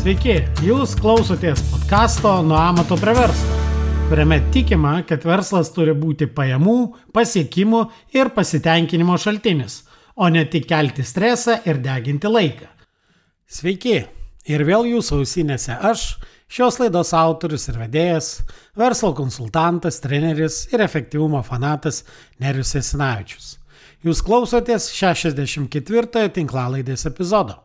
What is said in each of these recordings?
Sveiki, jūs klausotės podcasto Nuo amato prie verslo, kuriame tikima, kad verslas turi būti pajamų, pasiekimų ir pasitenkinimo šaltinis, o ne tik kelti stresą ir deginti laiką. Sveiki, ir vėl jūsų ausinėse aš, šios laidos autorius ir vedėjas, verslo konsultantas, treneris ir efektyvumo fanatas Nerijus Jasinavičius. Jūs klausotės 64 tinklalaidės epizodo.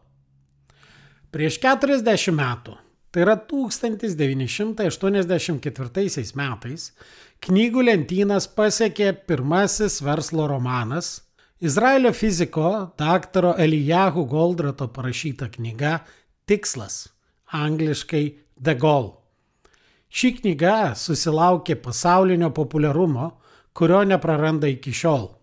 Prieš 40 metų, tai yra 1984 metais, knygų lentynas pasiekė pirmasis verslo romanas, Izraelio fiziko daktaro Elijahu Goldrato parašyta knyga Tikslas, angliškai The Goal. Ši knyga susilaukė pasaulinio populiarumo, kurio nepraranda iki šiol.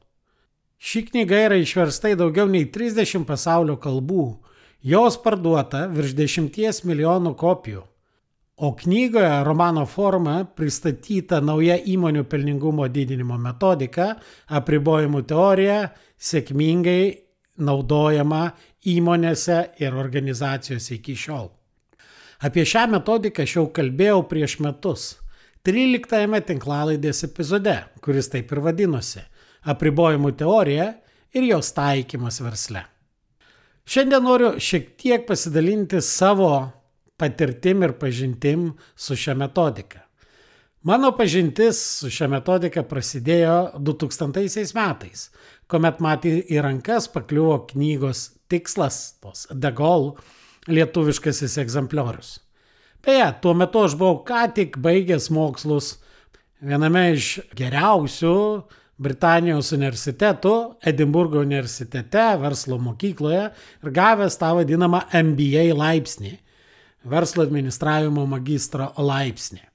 Ši knyga yra išversta į daugiau nei 30 pasaulio kalbų. Jos parduota virš 10 milijonų kopijų, o knygoje romano forma pristatyta nauja įmonių pelningumo didinimo metodika, apribojimų teorija, sėkmingai naudojama įmonėse ir organizacijose iki šiol. Apie šią metodiką aš jau kalbėjau prieš metus, 13 tinklalaidės epizode, kuris taip ir vadinosi – apribojimų teorija ir jos taikymas versle. Šiandien noriu šiek tiek pasidalinti savo patirtim ir pažintim su šia metodika. Mano pažintis su šia metodika prasidėjo 2000 metais, kuomet man į rankas pakliuvo knygos Tikslas, tos The Goal, lietuviškasis egzempliorius. Beje, tuo metu aš buvau ką tik baigęs mokslus viename iš geriausių Britanijos universitetų, Edinburgo universitete, verslo mokykloje ir gavęs tą vadinamą MBA laipsnį, verslo administravimo magistro laipsnį.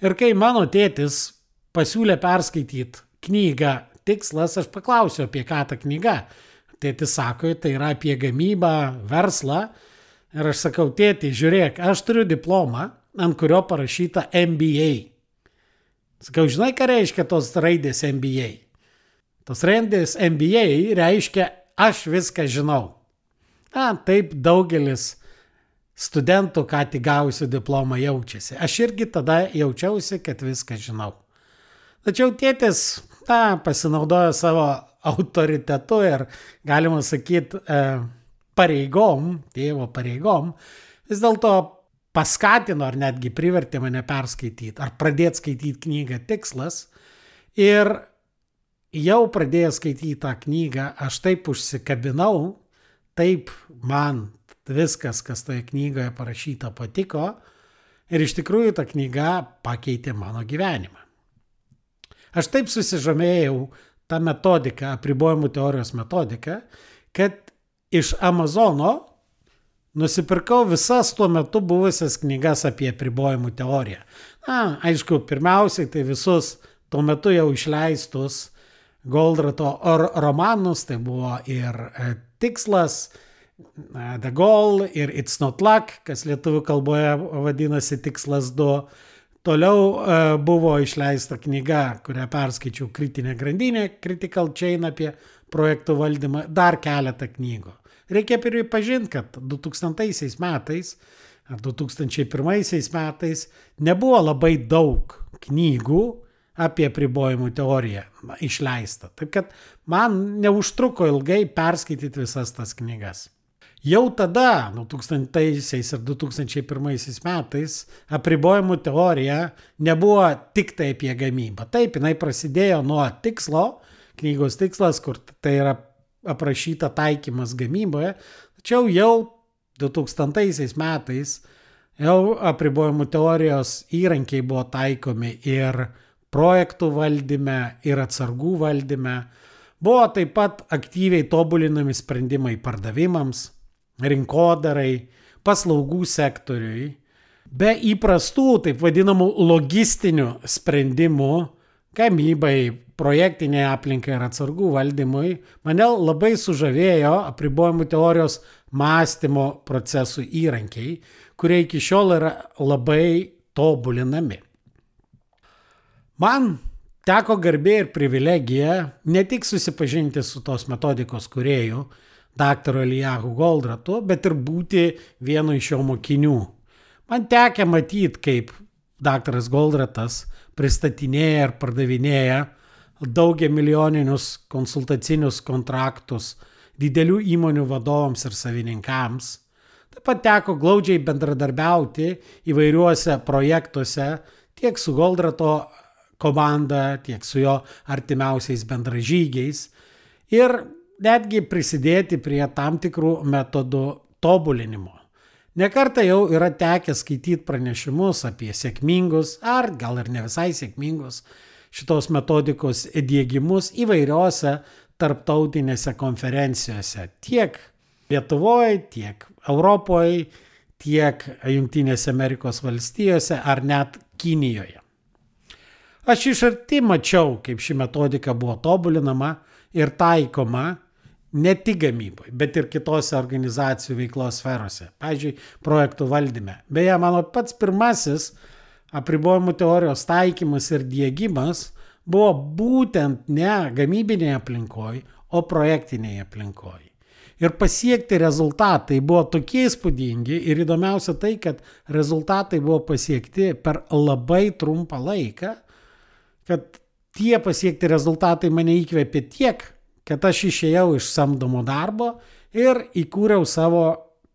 Ir kai mano tėtis pasiūlė perskaityti knygą Tikslas, aš paklausiau, apie ką ta knyga. Tėtis sako, tai yra apie gamybą, verslą. Ir aš sakau, tėti, žiūrėk, aš turiu diplomą, ant kurio parašyta MBA. Sakau, žinai, ką reiškia tos raidės MBA? Tos raidės MBA reiškia, aš viską žinau. Taip daugelis studentų, ką tik gavusių diplomą, jaučiasi. Aš irgi tada jaučiausi, kad viską žinau. Tačiau tėtis pasinaudojo savo autoritetu ir, galima sakyti, pareigom, tėvo pareigom, vis dėlto paskatino ar netgi privertė mane perskaityti ar pradėti skaityti knygą Tikslas. Ir jau pradėjęs skaityti tą knygą, aš taip užsikabinau, taip man viskas, kas toje knygoje parašyta, patiko ir iš tikrųjų ta knyga pakeitė mano gyvenimą. Aš taip susižavėjau tą metodiką, apribojimų teorijos metodiką, kad iš Amazono nusipirkau visas tuo metu buvusias knygas apie apribojimų teoriją. Aišku, pirmiausiai tai visus tuo metu jau išleistus Goldrato romanus, tai buvo ir Tikslas, The Goal ir It's Not Luck, kas lietuvių kalboje vadinasi Tikslas 2. Toliau buvo išleista knyga, kurią perskaičiau Kritinė grandinė, Critical Chain apie projektų valdymą, dar keletą knygų. Reikia pripažinti, kad 2000 metais ar 2001 metais nebuvo labai daug knygų apie apribojimų teoriją išleista. Taip kad man neužtruko ilgai perskaityti visas tas knygas. Jau tada, 2000 ir 2001 metais, apribojimų teorija nebuvo tik tai apie gamybą. Taip, jinai prasidėjo nuo Tikslo, knygos Tikslas, kur tai yra aprašyta taikymas gamyboje, tačiau jau 2000 metais jau apribojimų teorijos įrankiai buvo taikomi ir projektų valdyme, ir atsargų valdyme. Buvo taip pat aktyviai tobulinami sprendimai pardavimams, rinkodarai, paslaugų sektoriui. Be įprastų, taip vadinamų logistinių sprendimų, gamybai, projektinėje aplinkai ir atsargų valdymui, mane labai sužavėjo apribojimų teorijos mąstymo procesų įrankiai, kurie iki šiol yra labai tobulinami. Man teko garbė ir privilegija ne tik susipažinti su tos metodikos kūrėju, daktaru Elijahu Goldratu, bet ir būti vienu iš jo mokinių Man tekia matyti, kaip daktaras Goldratas pristatinėja ir pardavinėja daugiamilijoninius konsultacinius kontraktus didelių įmonių vadovams ir savininkams. Taip pat teko glaudžiai bendradarbiauti įvairiuose projektuose tiek su Goldrato komanda, tiek su jo artimiausiais bendražygiais ir netgi prisidėti prie tam tikrų metodų tobulinimo. Nekartą jau yra tekę skaityti pranešimus apie sėkmingus, ar gal ir ne visai sėkmingus šitos metodikos įdiegimus įvairiose tarptautinėse konferencijose, tiek Lietuvoje, tiek Europoje, tiek Jungtinėse Amerikos valstijose ar net Kinijoje. Aš iš arti mačiau, kaip ši metodika buvo tobulinama ir taikoma ne tik gamyboje, bet ir kitose organizacijų veiklos sferose, pavyzdžiui, projektų valdyme. Beje, mano pats pirmasis apribojimų teorijos taikymas ir diegimas buvo būtent ne gamybinėje aplinkoje, o projektinėje aplinkoje. Ir pasiekti rezultatai buvo tokie įspūdingi ir įdomiausia tai, kad rezultatai buvo pasiekti per labai trumpą laiką, kad tie pasiekti rezultatai mane įkvėpė tiek, kad aš išėjau iš samdomo darbo ir įkūriau savo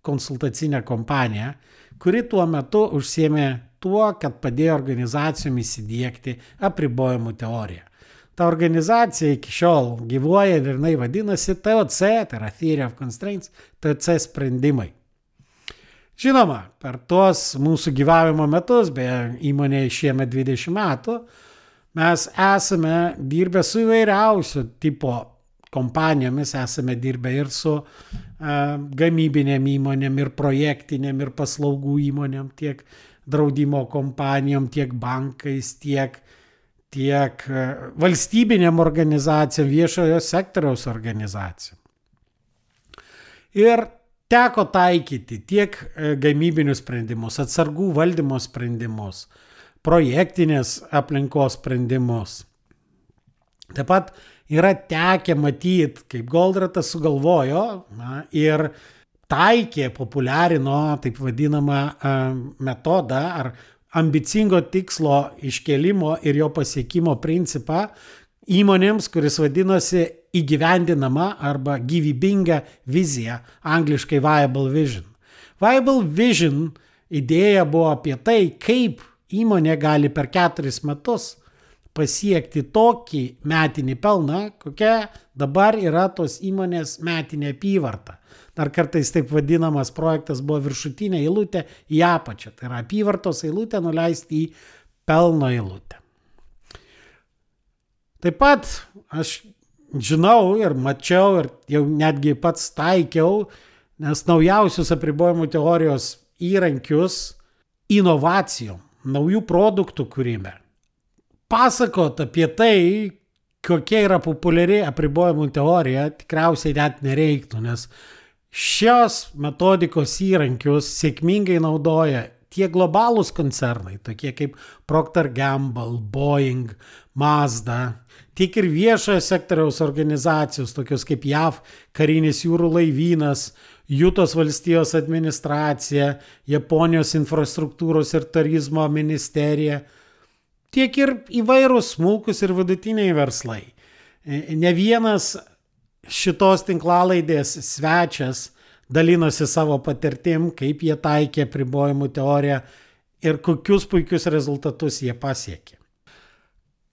konsultacinę kompaniją, kuri tuo metu užsiėmė tuo, kad padėjo organizacijom įsidiegti apribojimų teoriją. Ta organizacija iki šiol gyvuoja ir jinai vadinasi TOC, tai yra Theory of Constraints, TOC sprendimai. Žinoma, per tuos mūsų gyvavimo metus, beje, įmonė šiemet 20 metų, mes esame dirbę su įvairiausių tipo kompanijomis, esame dirbę ir su gamybinėm įmonėm, ir projektinėm, ir paslaugų įmonėm, tiek draudimo kompanijom, tiek bankais, tiek valstybinėm organizacijom, viešojo sektoriaus organizacijom. Ir teko taikyti tiek gamybinius sprendimus, atsargų valdymo sprendimus, projektinės aplinkos sprendimus. Taip pat yra tekę matyti, kaip Goldratas sugalvojo ir taikė, populiarino taip vadinamą metodą ar ambicingo tikslo iškelimo ir jo pasiekimo principą įmonėms, kuris vadinosi įgyvendinama arba gyvybinga vizija, angliškai Viable Vision. Viable Vision idėja buvo apie tai, kaip įmonė gali per 4 metus pasiekti tokį metinį pelną, kokia dabar yra tos įmonės metinė apyvarta. Dar kartais taip vadinamas projektas buvo viršutinė eilutė į apačią. Tai yra apyvartos eilutė nuleisti į pelno eilutę. Taip pat aš žinau ir mačiau ir jau netgi pats taikiau, nes naujausius apribojimų teorijos įrankius inovacijom, naujų produktų kūrime. Pasakot apie tai, kokia yra populiari apribojimų teorija, tikriausiai net nereiktų, nes šios metodikos įrankius sėkmingai naudoja tiek globalūs koncernai, tokie kaip Procter & Gamble, Boeing, Mazda, tiek ir viešojo sektoriaus organizacijos, tokios kaip JAV karinis jūrų laivynas, Jutos valstijos administracija, Japonijos infrastruktūros ir turizmo ministerija, tiek ir įvairūs smulkus ir vidutiniai verslai. Ne vienas šitos tinklalaidės svečias dalinosi savo patirtim, kaip jie taikė apribojimų teoriją ir kokius puikius rezultatus jie pasiekė.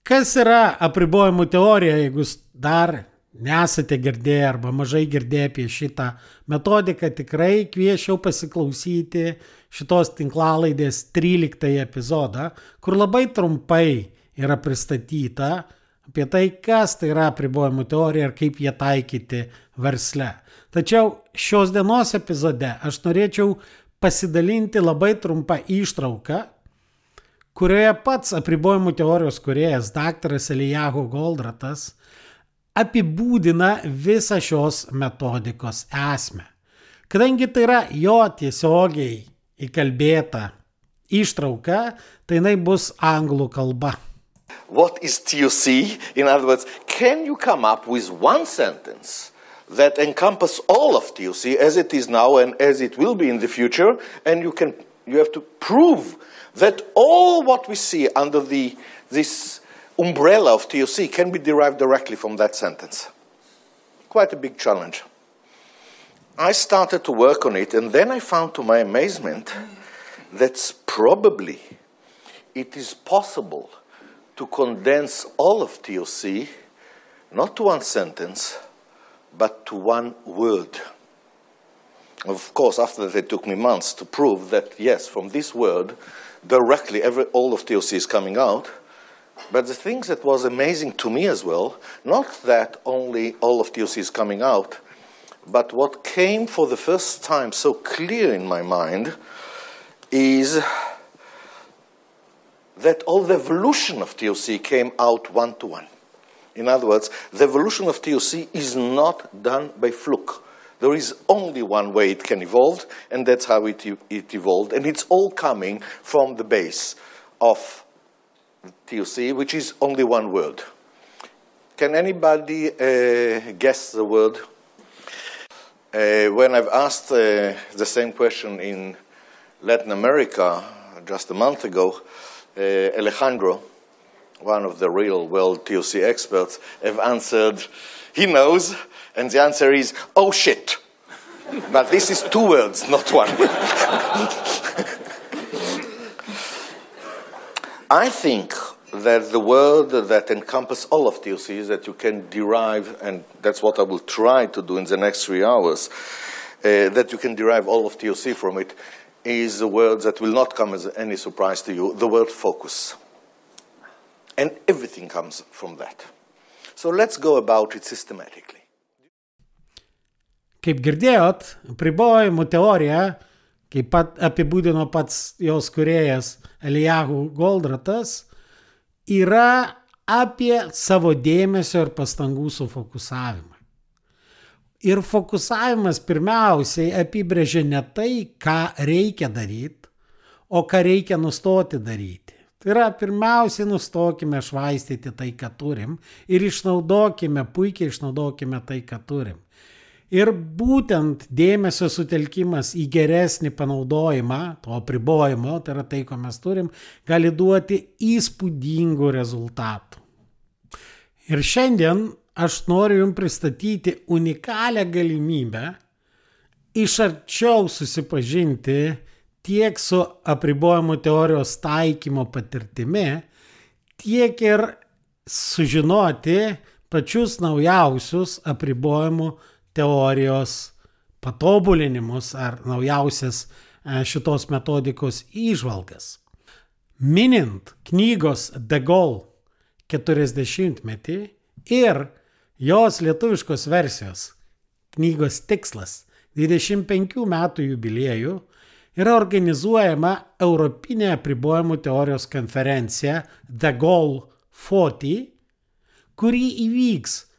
Kas yra apribojimų teorija, jeigu dar nesate girdėję arba mažai girdėję apie šitą metodiką, tikrai kvieščiau pasiklausyti šitos tinklalaidės 13 epizodą, kur labai trumpai yra pristatyta apie tai, kas tai yra apribojimų teorija ir kaip jie taikyti versle. Tačiau šios dienos epizode aš norėčiau pasidalinti labai trumpą ištrauką, kurioje pats apribojimų teorijos kūrėjas daktaras Elijahu Goldratas apibūdina visą šios metodikos esmę. Kadangi tai yra jo tiesiogiai įkalbėta ištrauka, tai jinai bus anglų kalba. What is TOC? In other words, can you come up with one sentence that encompasses all of TOC as it is now and as it will be in the future, and you can You have to prove that all what we see under this umbrella of TOC can be derived directly from that sentence. Quite a big challenge. I started to work on it, and then I found to my amazement that probably it is possible to condense all of TOC not to one sentence, but to one word. Of course, after that, it took me months to prove that, yes, from this word, directly all of TOC is coming out. But the thing that was amazing to me as well, not that only all of TOC is coming out, but what came for the first time so clear in my mind is that all the evolution of TOC came out one-to-one. In other words, the evolution of TOC is not done by fluke. There is only one way it can evolve, and that's how it evolved. And it's all coming from the base of TOC, which is only one word. Can anybody guess the word? When I've asked the same question in Latin America just a month ago, Alejandro, one of the real world TOC experts, have answered, he knows, and the answer is, oh shit. But this is two words, not one. I think that the word that encompasses all of TOC is that you can derive, and that's what I will try to do in the next 3 hours, that you can derive all of TOC from it, is a word that will not come as any surprise to you, the word focus. And everything comes from that. So let's go about it systematically. Kaip girdėjot, apribojimų teorija, kaip apibūdino pats jos kūrėjas Eliyahu Goldratas, yra apie savo dėmesio ir pastangų sufokusavimą. Ir fokusavimas pirmiausiai apibrėžia ne tai, ką reikia daryti, o ką reikia nustoti daryti. Tai yra, pirmiausiai nustokime švaistyti tai, ką turim, ir puikiai išnaudokime tai, ką turim. Ir būtent dėmesio sutelkimas į geresnį panaudojimą, to apribojimo, tai yra tai, ko mes turim, gali duoti įspūdingų rezultatų. Ir šiandien aš noriu jums pristatyti unikalią galimybę iš arčiau susipažinti tiek su apribojimų teorijos taikymo patirtimi, tiek ir sužinoti pačius naujausius apribojimų teorijos patobulinimus ar naujausias šitos metodikos įžvalgas. Minint knygos De Gaulle 40-metį ir jos lietuviškos versijos knygos tikslas 25 metų jubiliejų yra organizuojama Europinė apribojimų teorijos konferencija The Gaulle 40, kuri įvyks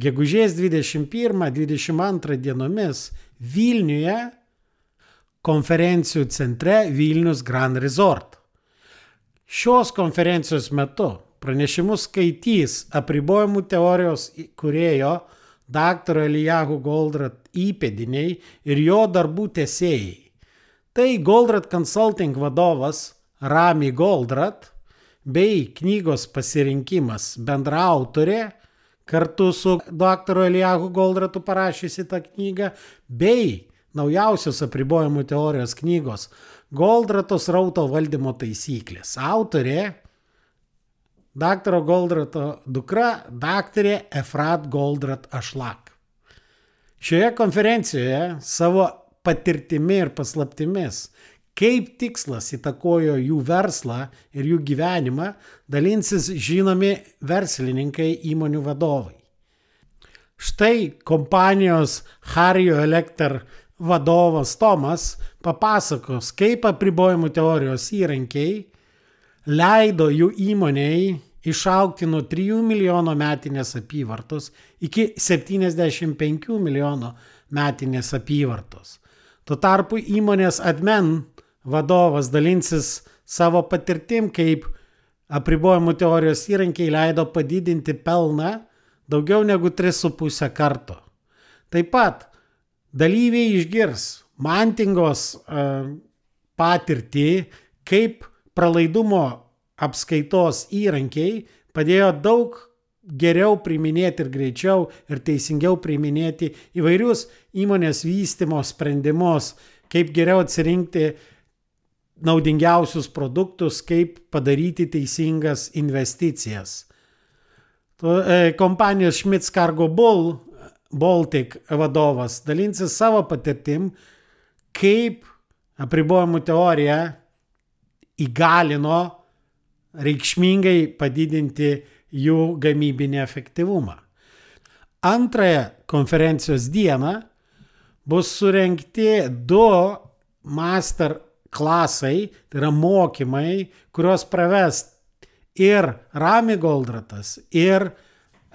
gegužės 21-22 dienomis Vilniuje konferencijų centre Vilnius Grand Resort. Šios konferencijos metu pranešimus skaitys apribojimų teorijos kūrėjo dr. Eliyahu Goldratt įpėdiniai ir jo darbų tęsėjai. Tai Goldratt Consulting vadovas Rami Goldratt bei knygos pasirinkimas bendraautorė, kartu su dr. Eliyahu Goldrattu parašysi tą knygą, bei naujausios apribojimų teorijos knygos Goldratto srauto valdymo taisyklės. Autorė dr. Goldratto dukra, daktarė Efrat Goldratt Ashlag. Šioje konferencijoje savo patirtimi ir paslaptimis, kaip tikslas įtakojo jų verslą ir jų gyvenimą, dalinsis žinomi verslininkai, įmonių vadovai. Štai kompanijos Harrio Elector vadovas Tomas papasakos, kaip apribojimų teorijos įrankiai leido jų įmonei išaugti nuo 3 milijono metinės apyvartos iki 75 milijono metinės apyvartos. Tuo tarpu įmonės Admen vadovas dalinsis savo patirtim, kaip apribojimų teorijos įrankiai leido padidinti pelną daugiau negu 3,5 karto. Taip pat dalyviai išgirs Mantingos patirtį, kaip pralaidumo apskaitos įrankiai padėjo daug geriau priiminėti ir greičiau ir teisingiau priiminėti įvairius įmonės vystymo sprendimus, kaip geriau atsirinkti naudingiausius produktus, kaip padaryti teisingas investicijas. Kompanijos Schmitz Cargo Baltic vadovas dalinsis savo patirtim, kaip apribojimų teorija įgalino reikšmingai padidinti jų gamybinį efektyvumą. Antrąją konferencijos dieną bus surengti 2 master klasai, tai yra mokymai, kurios praves ir Rami Goldratas, ir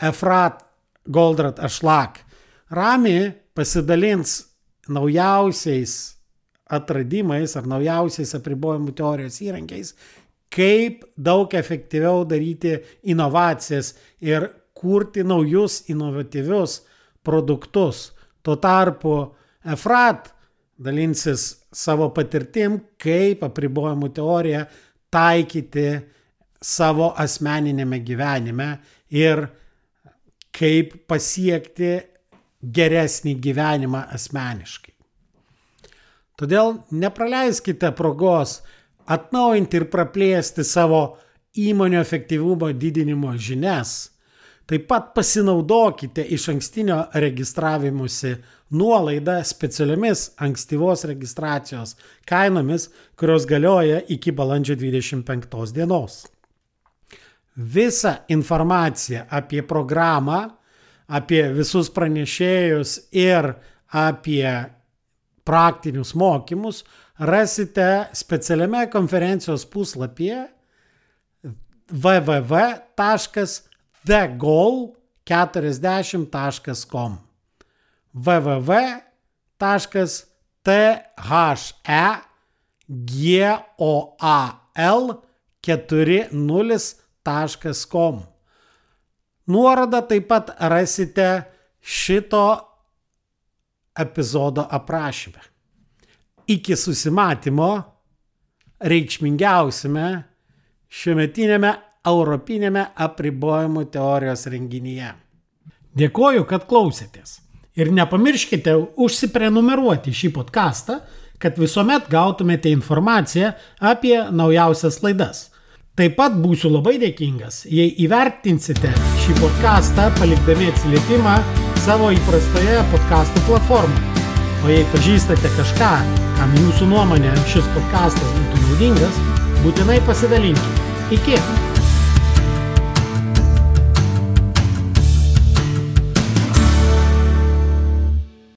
Efrat Goldrat Ašlak. Rami pasidalins naujausiais atradimais ar naujausiais apribojimų teorijos įrankiais, kaip daug efektyviau daryti inovacijas ir kurti naujus inovatyvius produktus. Tuo tarpu Efrat dalinsis savo patirtim, kaip apribojimų teoriją taikyti savo asmeninėme gyvenime ir kaip pasiekti geresnį gyvenimą asmeniškai. Todėl nepraleiskite progos atnaujinti ir praplėsti savo įmonių efektyvumo didinimo žinias. Taip pat pasinaudokite iš ankstinio registravimusi nuolaidą specialiomis ankstyvos registracijos kainomis, kurios galioja iki balandžio 25 dienos. Visą informaciją apie programą, apie visus pranešėjus ir apie praktinius mokymus rasite specialiame konferencijos puslapyje www.thegoal40.com www.thegoal40.com. Nuorodą taip pat rasite šito epizodo aprašyme. Iki susimatymo reikšmingiausiame šiuometinėme europinėme apribojimų teorijos renginyje. Dėkoju, kad klausėtės. Ir nepamirškite užsiprenumeruoti šį podcastą, kad visuomet gautumėte informaciją apie naujausias laidas. Taip pat būsiu labai dėkingas, jei įvertinsite šį podcastą palikdami atsiliepimą savo įprastoje podcastų platformoje. O jei pažįstate kažką, kam jūsų nuomonė šis podcastas būtų naudingas, būtinai pasidalinkite. Iki!